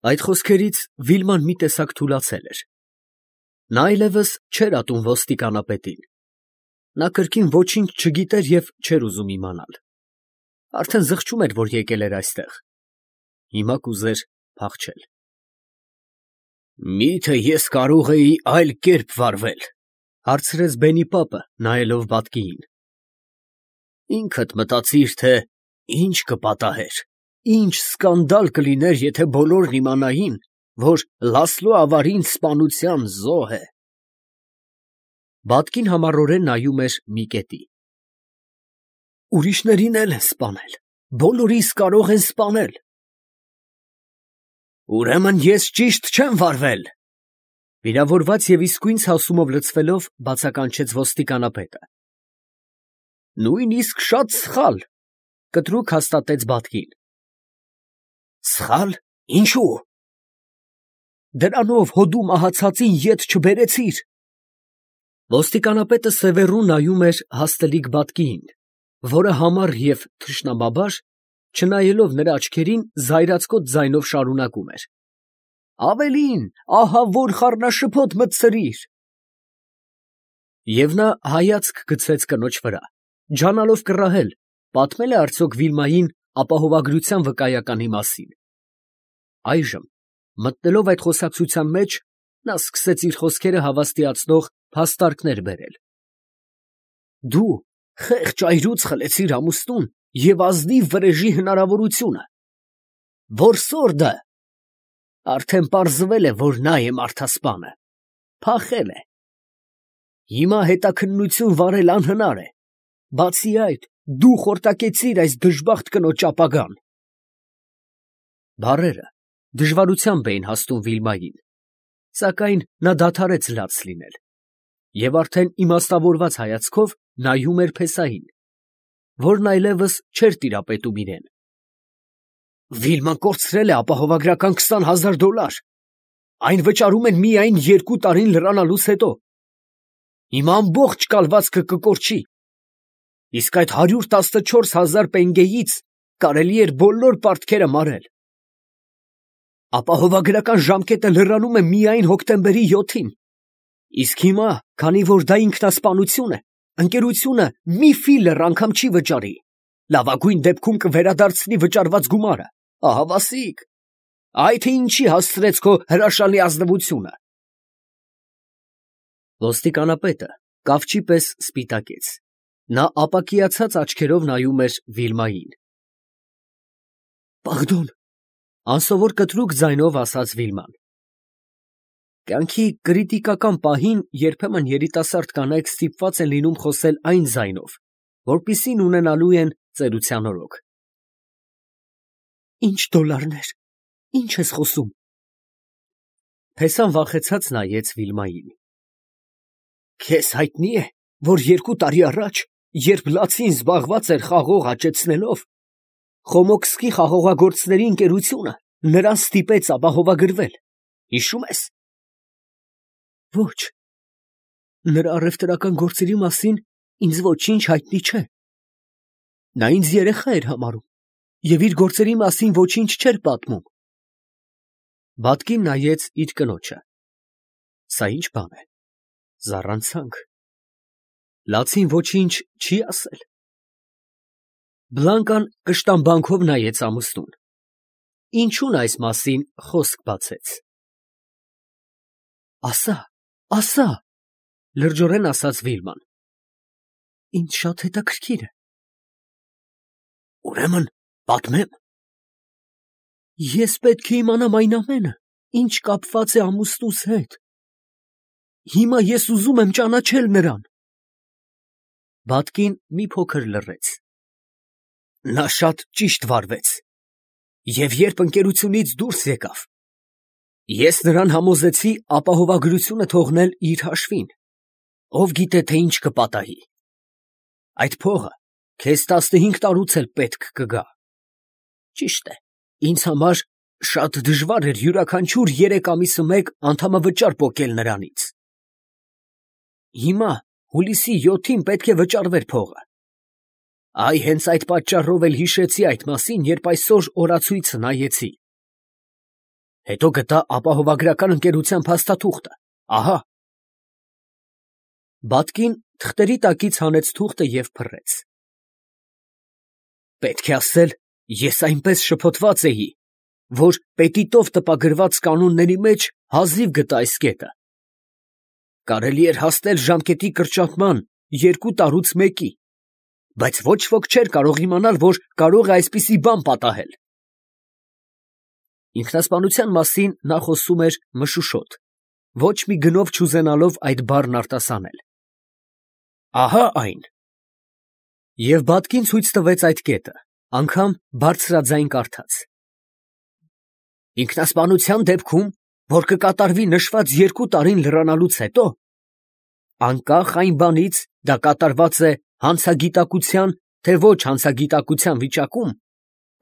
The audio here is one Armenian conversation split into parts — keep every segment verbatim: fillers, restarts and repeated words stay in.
Այդ խոսքերից Վիլման մի տեսակ թուլացել էր. նա այլևս չէր ատում ոստիկանապետին, նա կրկին ոչինչ չգիտեր և չէր ուզում իմանալ, արդեն զղջում էր, որ եկել էր այստեղ, հիմա կուզեր փախչել։ «Մի՞թե ես կարող էի այլ կերպ վարվել, ֊ հարցրեց Բենիպապը, նայելով բատկիին։ ֊ Ինքդ մտածիր, թե ինչ կպատահեր, ինչ սկանդալ կլիներ, եթե բոլորն իմանային, որ Լասլո ավարին սպանության զոհ է։ Բատկին համառորեն նայում էր մի կետի։ Ուրիշներին էլ են սպանել, բոլորիս կարող են սպանել։ Ուրեմն ես ճիշտ չեմ վարվել, ֊ վիրավորված և իսկույն ցասումով լցվելով բացականչեց ոստիկանապետը։ Նույնիսկ շատ սխալ, ֊ կտրուկ հաստատեց բատկին։ Սխալ, ինչո՞ւ։ Դրանով հո դու մահացածին ետ չբերեցիր։ Ոստիկանապետը սևեռուն նայում էր հաստլիկ բատկիին, որը համառ և թշնամաբար, չնայելով նրա աչքերին, զայրացկոտ ձայնով շարունակում էր. Ավելին, ահա որ խառնաշփոթ մտցրիր։ Եվ նա հայացք գցեց կնոջ վրա, ջանալով կռահել, պատմել է արդյոք Վիլմային ապահովագրության վկայականի մասին։ Այժմ, մտնելով այդ խոսակցության մեջ, նա սկսեց իր խոսքերը հավաստիացնող փաստարկներ բերել։ Դու խեղճ այրուց խլեցիր ամուսնուն և ազնիվ վրեժի հնարավորությունը։ Որսորդը արդեն պարզվել է, որ նա է մարդասպանը, փախել է։ Հիմա հետաքննություն վարել անհնար է, բացի այդ, դու խորտակեցիր այս դժբախտ կնոջ ապագան։ Բառերը դժվարությամբ էին հասնում Վիլմային, սակայն նա դադարեց լաց լինել և արդեն իմաստավորված հայացքով նայում էր փեսային, որն այլևս չէր տիրապետում իրան։ Վիլման կորցրել է ապահովագրական քսան հազար դոլար, այն վճարում են միայն երկու տարին լրանալուց հետո։ Հիմա ամբողջ կալվածքը կկորչի, իսկ այդ հարյուր տասնչորս հազար պենգեից կարելի էր բոլոր պարտքերը մարել։ Ապահովագրական ժամկետը լրանում է միայն հոկտեմբերի յոթին, իսկ հիմա, քանի որ դա ինքնասպանություն է, ընկերությունը մի ֆիլեր անգամ չի վճարի, լավագույն դեպքում կվերադարձնի վճարված գումարը, ահավասիկ, այ թե ինչի հասցրեց քո հրաշալի ազնվությունը։ Ոստիկանապետը կավճի պես սպիտակեց, նա ապակիացած աչքերով նայում էր Վիլմային։ Պարդոն, անսովոր կտրուկ ձայնով ասաց Վիլման։ Կյանքի կրիտիկական պահին երբեմն երիտասարդ կանայք ստիպված են լինում խոսել այն ձայնով, որպեսզի ունենալու են ծերության օրոք։ Ինչ դոլարներ, ինչ ես խոսում։ Փեսան վախեցած նայեց Վիլմային։ Քեզ հայտնի է, որ երկու տարի առաջ, երբ Լացին զբաղված էր խաղող աճեցնելով, Խոմոքսկի խաղողագործների ընկերությունը նրան ստիպեց ապահովագրվել, հիշում ես։ Ոչ, նրա առևտրական գործերի մասին ինձ ոչինչ հայտնի չէ։ Նա ինձ երեխա էր համարում և իր գործերի մասին ոչինչ չէր պատմում։ Բատկին նայեց իր կնոջը։ Սա ի՞նչ բան է, զառանցանք։ Լացին ոչինչ չի ասել։ Բլանկան կշտամբանքով նայեց ամուսնուն։ Ինչու՞ն այս մասին խոսք բացեց։ Ասա, ասա, լրջորեն ասաց Վիլման։ Ինձ շատ հետաքրքիր է։ Ուրեմն պատմեմ։ Ես պետք է իմանամ այն ամենը, ինչ կապված է ամուսնուս հետ։ Հիմա ես ուզում եմ ճանաչել նրան։ Բատկին մի փոքր լռեց։ Նա շատ ճիշտ վարվեց, և երբ ընկերությունից դուրս եկավ, ես նրան համոզեցի ապահովագրությունը թողնել իր հաշվին, ով գիտե, թե ինչ կպատահի։ Այդ փողը քեզ տասնհինգ տարուց էլ պետք կգա։ Ճիշտ է, ինձ համար շատ դժվար էր յուրաքանչյուր երեք ամիսը մեկ անդամավճար պոկել նրանից։ Հիմա հուլիսի յոթին պետք է վճարվեր փողը։ Այ հենց այդ պատճառով էլ հիշեցի այդ մասին, երբ այսօր օրացույցը նայեցի։ Հետո գտա ապահովագրական ընկերության փաստաթուղթը, ահա։ Բատկին թղթերի տակից հանեց թուղթը և փռեց։ Պետք է ասել, ես այնպես շփոթված էի, որ պետիտով տպագրված կանոնների մեջ հազիվ գտա այս կետը։ Կարելի էր հասնել ժամկետի կրճատման երկու տարուց մեկի, բայց ոչ ոք չէր կարող իմանալ, որ կարող է այսպիսի բան պատահել։ Ինքնասպանության մասին նա խոսում էր մշուշոտ, ոչ մի գնով չուզենալով այդ բառն արտասանել։ Ահա այն։ Եվ Բատկին ցույց տվեց այդ կետը, անգամ բարձրաձայն կարդաց. Ինքնասպանության դեպքում, որ կկատարվի նշված երկու տարին լրանալուց հետո, անկախ այն բանից դա կատարված է հանցագիտակցության, թե ոչ հանցագիտակցության վիճակում,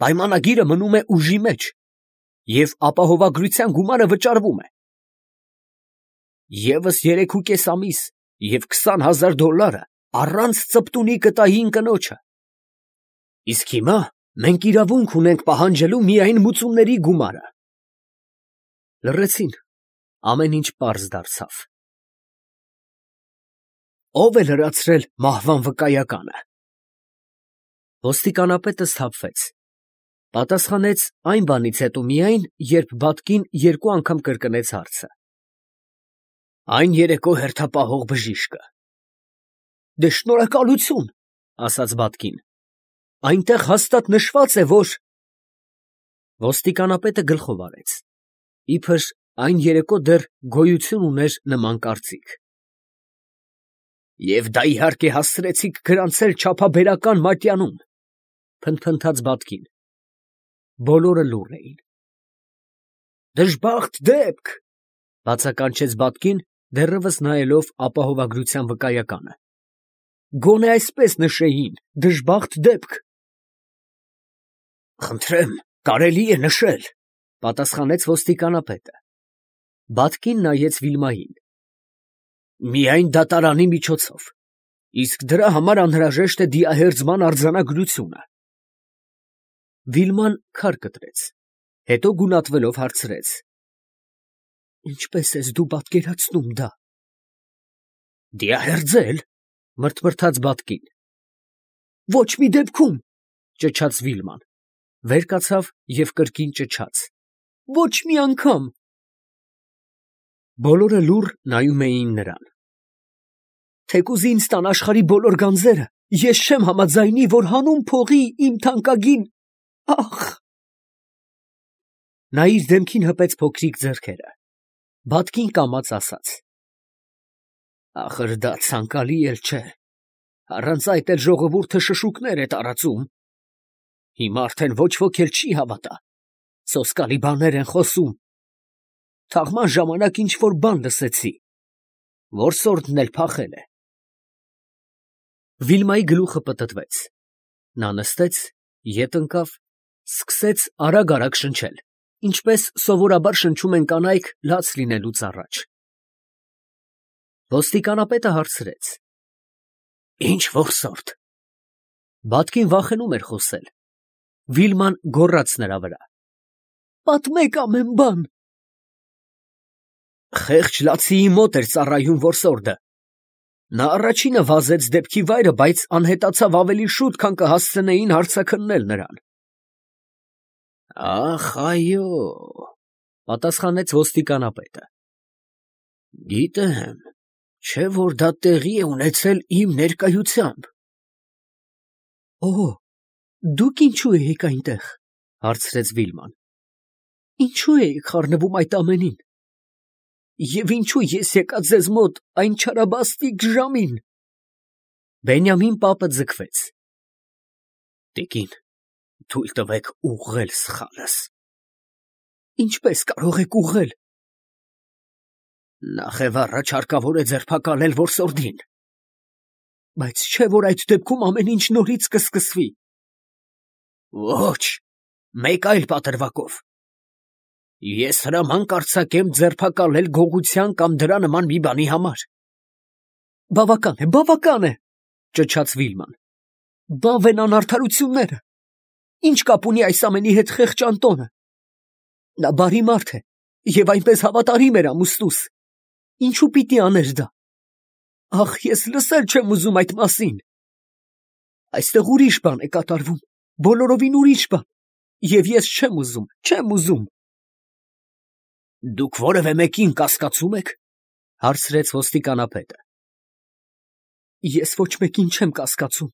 պայմանագիրը մնում է ուժի մեջ և ապահովագրության գումարը վճարվում է։ Եվս երեքուկես ամիս և քսան հազար դոլարը առանց ծպտունի կտային կնոջը։ Իսկ հիմա մենք իրավունք ունենք պահանջելու միայն մուծումների գումարը։ Լռեցին, ամեն ինչ պարզ դարձավ։ Ո՞վ է լրացրել մահվան վկայականը։ Ոստիկանապետը սթափվեց, պատասխանեց այն բանից հետո միայն, երբ Բատկին երկու անգամ կրկնեց հարցը։ Այն երեկո հերթապահող բժիշկը։ Դե շնորհակալություն, ասաց Բատկին, այնտեղ հաստատ նշված է, որ… Ոստիկանապետը գլխով արեց, իբր այն երեկո դեռ գոյություն ուներ նման կարծիք։ Եվ դա իհարկե հասցրեցիք գրանցել չափաբերական մատյանում, փնթփնթաց Բատկին։ Բոլորը լուռ էին։ Դժբախտ դեպք, բացականչեց Բատկին, դեռևս նայելով ապահովագրության վկայականը։ Գոնե այսպես նշեին, դժբախտ դեպք։ Խնդրեմ, կարելի է նշել, պատասխանեց ոստիկանապետը։ Բատկին նայեց Վիլմային։ Միայն դատարանի միջոցով, իսկ դրա համար անհրաժեշտ է դիահերձման արձանագրությունը։ Վիլման քար կտրեց, հետո գունատվելով հարցրեց. Ինչպես ես դու պատկերացնում դա։ Դիահերձել, մրթմրթաց Բատկին։ Ոչ մի դեպքում, ճչաց Վիլման, վեր կացավ և կրկին ճչաց. Ոչ մի անգամ։ Բոլորը լուռ նայում էին նրան։ Թեկուզ ինձ տան աշխարհի բոլոր գանձերը, ես չեմ համաձայնի, որ հանուն փողի իմ թանկագին… Ախ… Նա իր դեմքին հպեց փոքրիկ ձեռքերը։ Բատկին կամաց ասաց. Ախր դա ցանկալի էլ չէ, առանց այդ էլ ժողովուրդը շշուկներ է տարածում։ Հիմա արդեն ոչ ոք էլ չի հավատա, սոսկալի բաներ են խոսում։ Թաղման ժամանակ ինչ-որ բան լսեցի, որսորդն էլ փախել է։ Վիլմայի գլուխը պտտվեց։ Նա նստեց, ետ ընկավ, սկսեց արագ-արագ շնչել, ինչպես սովորաբար շնչում են կանայք լաց լինելուց առաջ։ Ոստիկանապետը հարցրեց. Ինչ որսորդ։ Բատկին վախենում էր խոսել։ Վիլման գոռաց նրա վրա. Պատմեք ամեն բան։ Խեղճ լացիի մոտ էր ծառայում որսորդը։ Նա առաջինը վազեց դեպքի վայրը, բայց անհետացավ ավելի շուտ, քան կհասցնեին հարցաքննել նրան։ Ախ, այո, պատասխանեց ոստիկանապետը։ Գիտեմ, չէ՞ որ դա տեղի է ունեցել իմ ներկայությամբ։ Օ, դուք ինչու էիք այնտեղ, հարցրեց Վիլման։ Ինչու էիք խառնվում այդ ամենին։ Եվ ինչու ես եկա ձեզ մոտ այն չարաբաստիկ ժամին։ Բենյամին պապը ձգվեց։ Տիկին, թույլ տվեք ուղղել սխալս։ Ինչպես կարող եք ուղղել։ Նախ եւ առաջ հարկավոր է ձերբակալել որսորդին։ Բայց չէ՞ որ այդ դեպքում ամեն ինչ նորից կսկսվի։ Ոչ, մեկ այլ պատրվակով։ Ես հրաման կարձակեմ ձերբակալել գողության կամ դրա նման մի բանի համար։ Բավական է, բավական է, ճչաց Վիլման։ Բավ են անարդարությունները։ Ինչ կապ ունի այս ամենի հետ խեղճ Անտոնը։ Նա բարի մարդ է, Եվ այնպես հավատարիմ էր ամուսնուս։ Ինչու պիտի աներ դա։ Ախ, ես լսել չեմ ուզում այդ մասին։ Այստեղ ուրիշ բան է կատարվում, բոլորովին ուրիշ բան, և ես չեմ ուզում, չեմ ուզում։ Դուք որևէ մեկին կասկածում եք, հարցրեց ոստիկանապետը։ Ես ոչ մեկին չեմ կասկածում,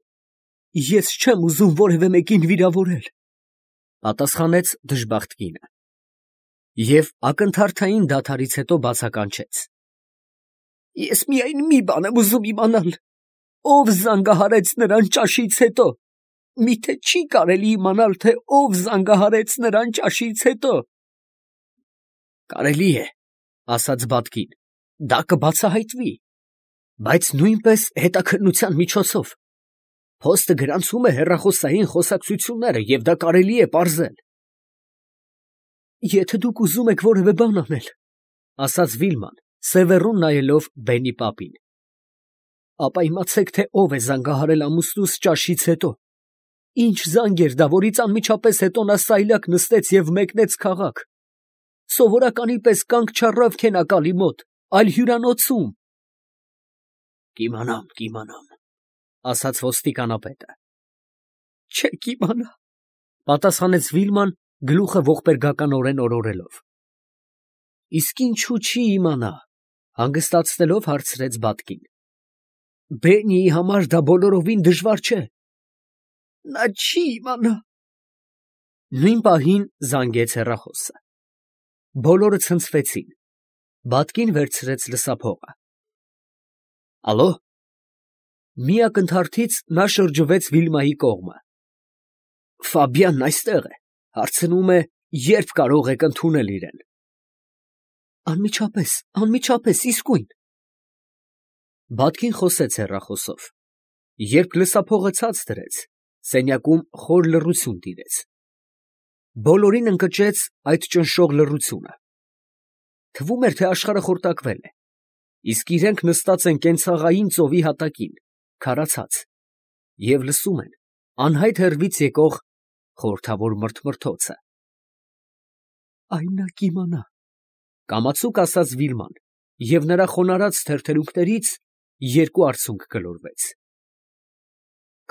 ես չեմ ուզում որևէ մեկին վիրավորել, պատասխանեց դժբախտ կինը, և ակնթարթային դադարից հետո բացականչեց. Ես միայն մի բան եմ ուզում իմանալ, ով զանգահարեց նրան ճաշից հետո, միթե չի կարելի իմանալ, թե ով զանգահարեց նրան ճաշից հետո։ Կարելի է, ասաց Բատկին, դա կբացահայտվի, բայց նույնպես հետաքննության միջոցով։ Փոստը գրանցում է հեռախոսային խոսակցությունները, և դա կարելի է պարզել։ Եթե դուք ուզում եք որևէ բան անել, ասաց Վիլման, սևեռուն նայելով Բենի պապին, ապա իմացեք, թե ով է զանգահարել ամուսնուս ճաշից հետո, ինչ զանգ էր դա, որից անմիջապես հետո նա սայլակ նստեց և մեկնեց քաղաք, սովորականի պես կանգ չառավ քենակալի մոտ, այլ հյուրանոցում։ Կիմանամ, կիմանամ, ասաց ոստիկանապետը։ Չեք իմանա, պատասխանեց Վիլման, գլուխը ողբերգականորեն օրորելով։ Իսկ ինչու չի իմանա, հանգստացնելով հարցրեց Բատկին։ Բենիի համար դա բոլորովին դժվար չէ։ Նա չի իմանա։ Նույն պահին զանգեց հեռախոսը։ Բոլորը ցնցվեցին։ Բատկին վերցրեց լսափողը։ Ալո։ Մի ակնթարթից նա շրջվեց Վիլմայի կողմը։ Ֆաբիանն այստեղ է, հարցնում է, երբ կարող եք ընդունել իրեն։ Անմիջապես, անմիջապես, իսկույն։ Բատկին խոսեց հեռախոսով։ Երբ լսափողը ցած դրեց, սենյակում խոր լռություն տիրեց։ Բոլորին ընկճեց այդ ճնշող լռությունը։ Թվում էր, թե աշխարհը խորտակվել է, իսկ իրենք նստած են կենցաղային ծովի հատակին, քարացած, և լսում են անհայտ հեռվից եկող խորհրդավոր մրթմրթոցը։ Այն նա կիմանա, կամացուկ ասաց Վիլման, և նրա խոնարհած թերթերունքներից երկու արցունք գլորվեց։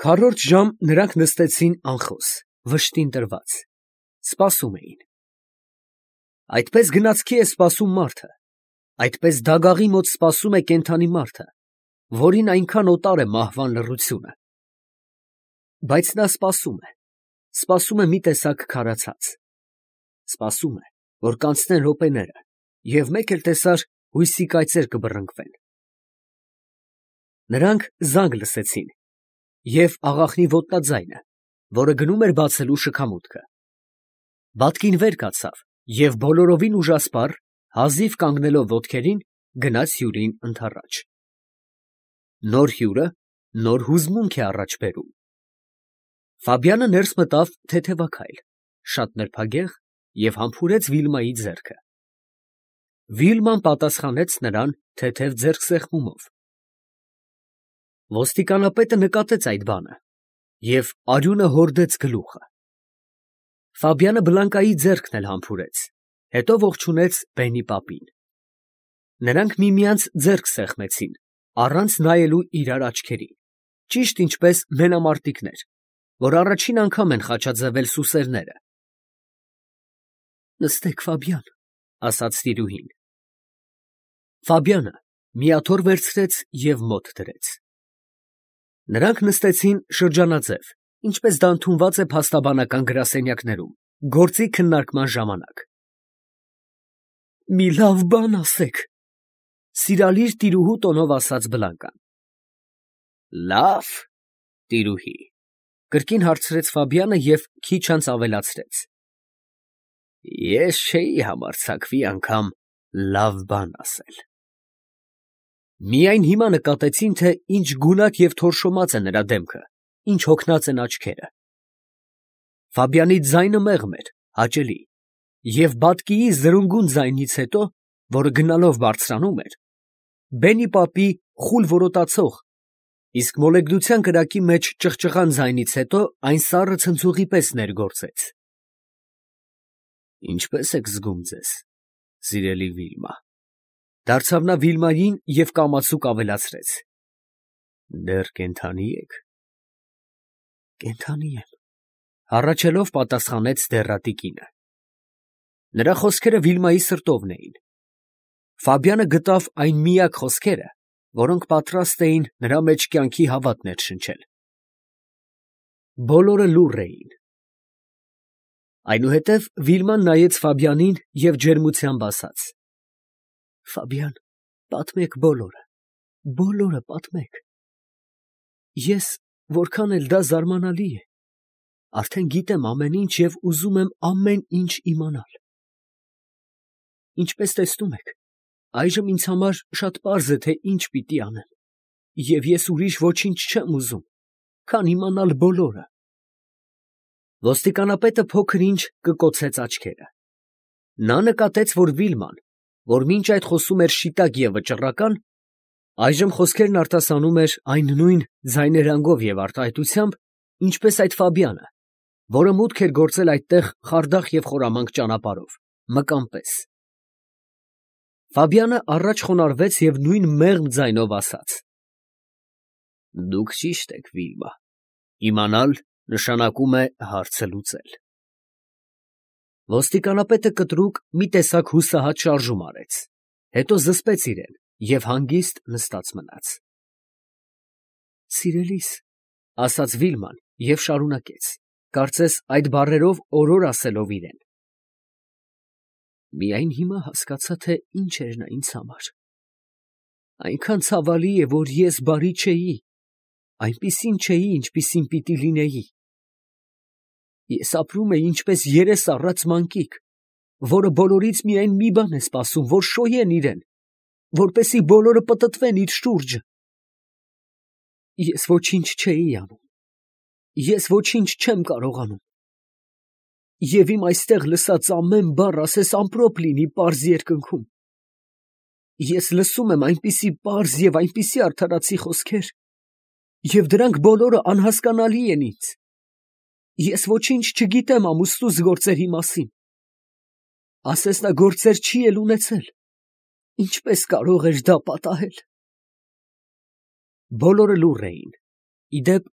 Քառորդ ժամ նրանք նստեցին անխոս, վշտին տրված, սպասում էին։ Այդպես գնացքի է սպասում մարդը, այդպես դագաղի մոտ սպասում է կենդանի մարդը, որին այնքան օտար է մահվան լռությունը։ Բայց նա սպասում է, սպասում է մի տեսակ քարացած, սպասում է, որ կանցնեն րոպեները, և մեկ էլ տեսար հույսի կայծեր կբռնկվեն։ Նրանք զանգ լսեցին, և աղախնի ոտնաձայնը, որը գնում էր բացելու շքամուտքը։ Բատկին վեր կացավ և բոլորովին ուժասպառ, հազիվ կանգնելով ոտքերին, գնաց հյուրին ընդառաջ։ Նոր հյուրը նոր հուզմունք է առաջ բերում։ Ֆաբիանը ներս մտավ թեթևաքայլ, շատ նրբագեղ և համբուրեց Վիլմայի ձեռքը։ Վիլման պատասխանեց նրան թեթև ձեռքսեղմումով։ Ոստիկանապետը նկատեց այդ բանը և արյունը հորդեց գլուխը։ Ֆաբիանը Բլանկայի ձեռքն էլ համբուրեց, հետո ողջունեց Բենի պապին։ Նրանք միմյանց ձեռք սեղմեցին, առանց նայելու իրար աչքերին, ճիշտ ինչպես մենամարտիկներ, որ առաջին անգամ են խաչաձևել սուսերները։ Նստեք, Ֆաբյան, ասաց տիրուհին։ Ֆաբյանը մի աթոռ վերցրեց և մոտ դրեց։ Նրանք նստեցին շրջանաձև, ինչպես դա ընդունված է փաստաբանական գրասենյակներում, գործի քննարկման ժամանակ։ Մի լավ բան ասեք, սիրալիր տիրուհու տոնով ասաց Բլանկան։ Լավ, տիրուհի, կրկին հարցրեց Ֆաբյանը և քիչ անց ավելացրեց. Ես չէի համարձակվի անգամ լավ բան ասել։ Միայն հիմա նկատեցին, թե ինչ գունատ և թորշոմած է նրա դեմքը, ինչ հոգնած են աչքերը։ Ֆաբյանի ձայնը մեղմ էր, հաճելի, և Բատկիի զրունգուն ձայնից հետո, որը գնալով բարձրանում էր, Բենի պապի խուլ որոտացող, իսկ մոլեգնության կրակի մեջ ճղճղան ձայնից հետո այն սառը ցնցողի պես ներգործեց։ Ինչպե՞ս եք զգում ձեզ, սիրելի Վիլմա, դարձավ նա Վիլմային և կամացուկ ավելացրեց. դեռ կենդանի եք։ Կենդանի եմ, հառաչելով պատասխանեց դեռատի կինը։ Նրա խոսքերը Վիլմայի սրտովն էին։ Ֆաբիանը գտավ այն միակ խոսքերը, որոնք պատրաստ էին նրա մեջ կյանքի հավատ ներշնչել։ Բոլորը լուռ էին։ Այնուհետև Վիլման նայեց Ֆաբիանին և ջերմությամբ ասաց. Ֆաբիան, պատմեք բոլորը, բոլորը պատմեք։ Ես, որքան էլ դա զարմանալի է, արդեն գիտեմ ամեն ինչ և ուզում եմ ամեն ինչ իմանալ։ Ինչպես տեսնում եք, այժմ ինձ համար շատ պարզ է, թե ինչ պիտի անեմ, և ես ուրիշ ոչինչ չեմ ուզում, քան իմանալ բոլորը։ Ոստիկանապետը փոքր ինչ կկոցեց աչքերը։ Նա նկատեց, որ Վիլման, որ մինչ այդ խոսում էր շիտակ և վճռական, այժմ խոսքերն արտասանում էր այն նույն ձայներանգով և արտահայտությամբ, ինչպես այդ Ֆաբիանը, որը մուտք էր գործել այդտեղ խարդախ և խորամանկ ճանապարհով, մկան պես։ Ֆաբիանը առաջ խոնարհվեց և նույն մեղմ ձայնով ասաց. Դուք ճիշտ եք, Վիլմա, իմանալ նշանակում է հարցը լուծել։ Ոստիկանապետը կտրուկ մի տեսակ հուսահատ շարժում արեց, հետո զսպեց իրեն և հանգիստ նստած մնաց։ Սիրելիս, ասաց Վիլման և շարունակեց, կարծես այդ բառերով օրոր ասելով իրեն. Միայն հիմա հասկացա, թե ինչ էր նա ինձ համար։ Այնքան ցավալի է, որ ես բարի չէի, այնպիսին չէի, ինչպիսին պիտի լինեի։ Ես ապրում էի ինչպես երես առած մանկիկ, որը բոլորից միայն մի բան է սպասում, որ շոյեն իրեն, որպեսզի բոլորը պտտվեն իր շուրջը։ Ես ոչինչ չէի անում, ես ոչինչ չեմ կարողանում։ Եվ իմ այստեղ լսած ամեն բառ ասես ամպրոպ լինի պարզ երկնքում։ Ես լսում եմ այնպիսի պարզ և այնպիսի արդարացի խոսքեր, և դրանք բոլորը անհասկանալի են ինձ։ Ես ոչինչ չգիտեմ ամուսնուս գործերի մասին։ Ասես նա գործեր չի էլ ունեցել։ Ինչպես կարող էր դա պատահել։ Բոլորը լուռ էին։ Ի դեպ,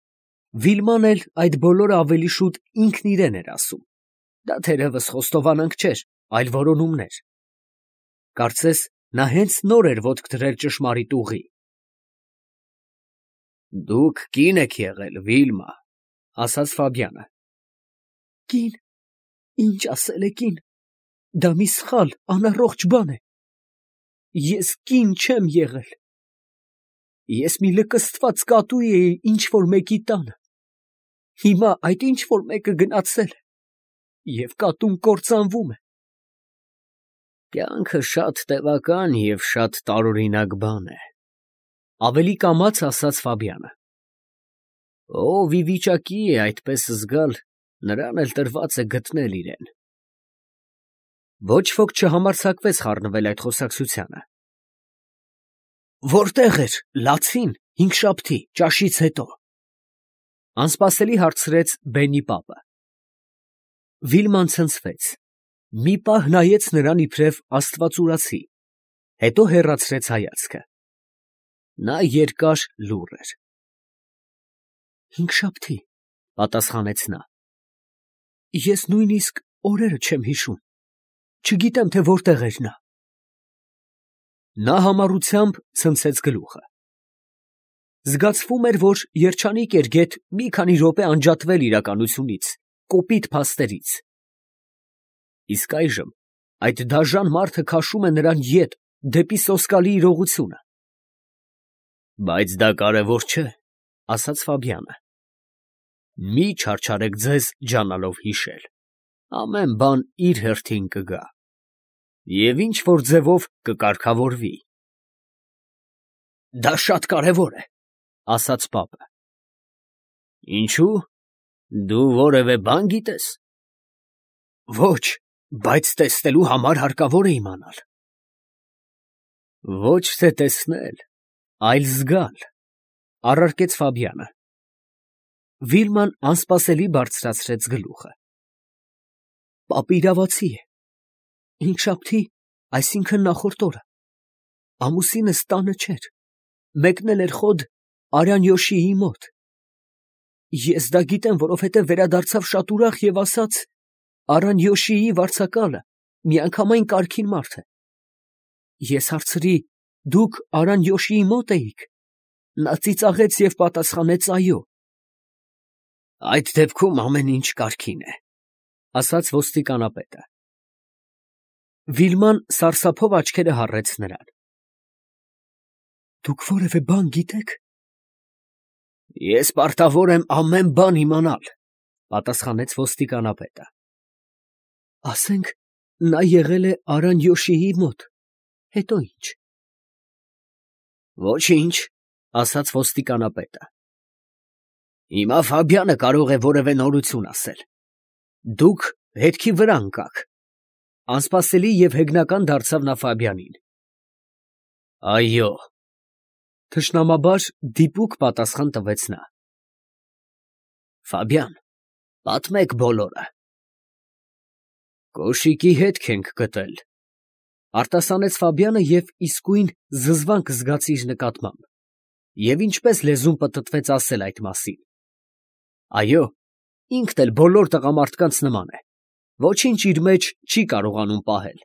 Վիլման էլ այդ բոլորը ավելի շուտ ինքն իրեն էր ասում։ Դա թերևս խոստովանանք չէր, այլ որոնումներ։ Կարծես նա հենց նոր էր ոտք դրել ճշմարիտ ուղի։ Դուք կին եք եղել, Վիլմա, ասաց Ֆաբիանը։ Կին, ինչ ասել է կին, դա մի սխալ, անառողջ բան է։ Ես կին չեմ եղել։ Ես մի լկստված կատու էի ինչ֊որ մեկի տանը։ Հիմա այդ ինչ֊որ մեկը գնացել է, և կատուն կործանվում է։ Կյանքը շատ տևական և շատ տարօրինակ բան է, ավելի կամաց ասաց Ֆաբիանը։ Ով ի վիճակի է այդպես զգալ, նրան էլ տրված է գտնել իրեն։ Ոչ ոք չհամարձակվեց խառնվել այդ խոսակցությանը։ Որտե՞ղ էր լացին հինգշաբթի ճաշից հետո, անսպասելի հարցրեց Բենի պապը։ Վիլման ցնցվեց, մի պահ նայեց նրան իբրև աստվածուրացի, հետո հեռացրեց հայացքը։ Նա երկար լուռ էր։ Հինգշաբթի, պատասխանեց նա։ Ես նույնիսկ օրերը չեմ հիշում, չգիտեմ, թե որտեղ էր նա։ Նա համառությամբ ցնցեց գլուխը։ Զգացվում էր, որ երջանիկ էր գեթ մի քանի րոպե անջատվել իրականությունից, կոպիտ փաստերից։ Իսկ այժմ այդ դաժան մարդը քաշում է նրան ետ, դեպի սոսկալի իրողությունը։ Բայց դա կարևոր չէ, ասաց Ֆաբիանը։ Մի չարչարեք ձեզ ջանալով հիշել, ամեն բան իր հերթին կգա, և ինչ֊որ ձևով կկարգավորվի։ Դա շատ կարևոր է, ասաց պապը։ Ինչու՞, դու որևէ բան գիտես։ Ոչ, բայց տեսնելու համար հարկավոր է իմանալ։ Ոչ թե տեսնել, այլ զգալ, առարկեց Ֆաբիանը։ Վիլման անսպասելի բարձրացրեց գլուխը։ Պապը իրավացի է։ Հինգշաբթի Այսինքն նախորդ օրը ամուսինս տանը չէր, մեկնել էր խոդ Արանյոշիի մոտ։ Ես դա գիտեմ, որովհետև վերադարձավ շատ ուրախ և ասաց. Արանյոշիի վարձակալը միանգամայն կարգին մարդ է։ Ես հարցրի. դուք Արանյոշիի մոտ էիք։ Նա ծիծաղեց և պատասխանեց. այո։ Այդ դեպքում ամեն ինչ կարգին է, ասաց ոստիկանապետը։ Վիլման սարսափով աչքերը հառեց նրան։ Դուք որևէ բան գիտեք։ Ես պարտավոր եմ ամեն բան իմանալ, պատասխանեց ոստիկանապետը։ Ասենք, նա եղել է Արանյոշիի մոտ, հետո ի՞նչ։ Ոչինչ, ասաց ոստիկանապետը։ Հիմա Ֆաբյանը կարող է որևէ նորություն ասել։ Դուք հետքի վրա ընկաք։ Անսպասելի և հեգնական դարձավ նա Ֆաբյանին։ Այո, թշնամաբար դիպուկ պատասխան տվեց նա։ Ֆաբյան, պատմեք բոլորը։ Կոշիկի հետք ենք գտել, արտասանեց Ֆաբյանը և իսկույն զզվանք զգաց իր նկատմամբ, և ինչպես լեզուն պտտվեց ասել այդ մասին։ Այո, ինքն էլ բոլոր տղամարդկանց նման է, ոչինչ իր մեջ չի կարողանում պահել։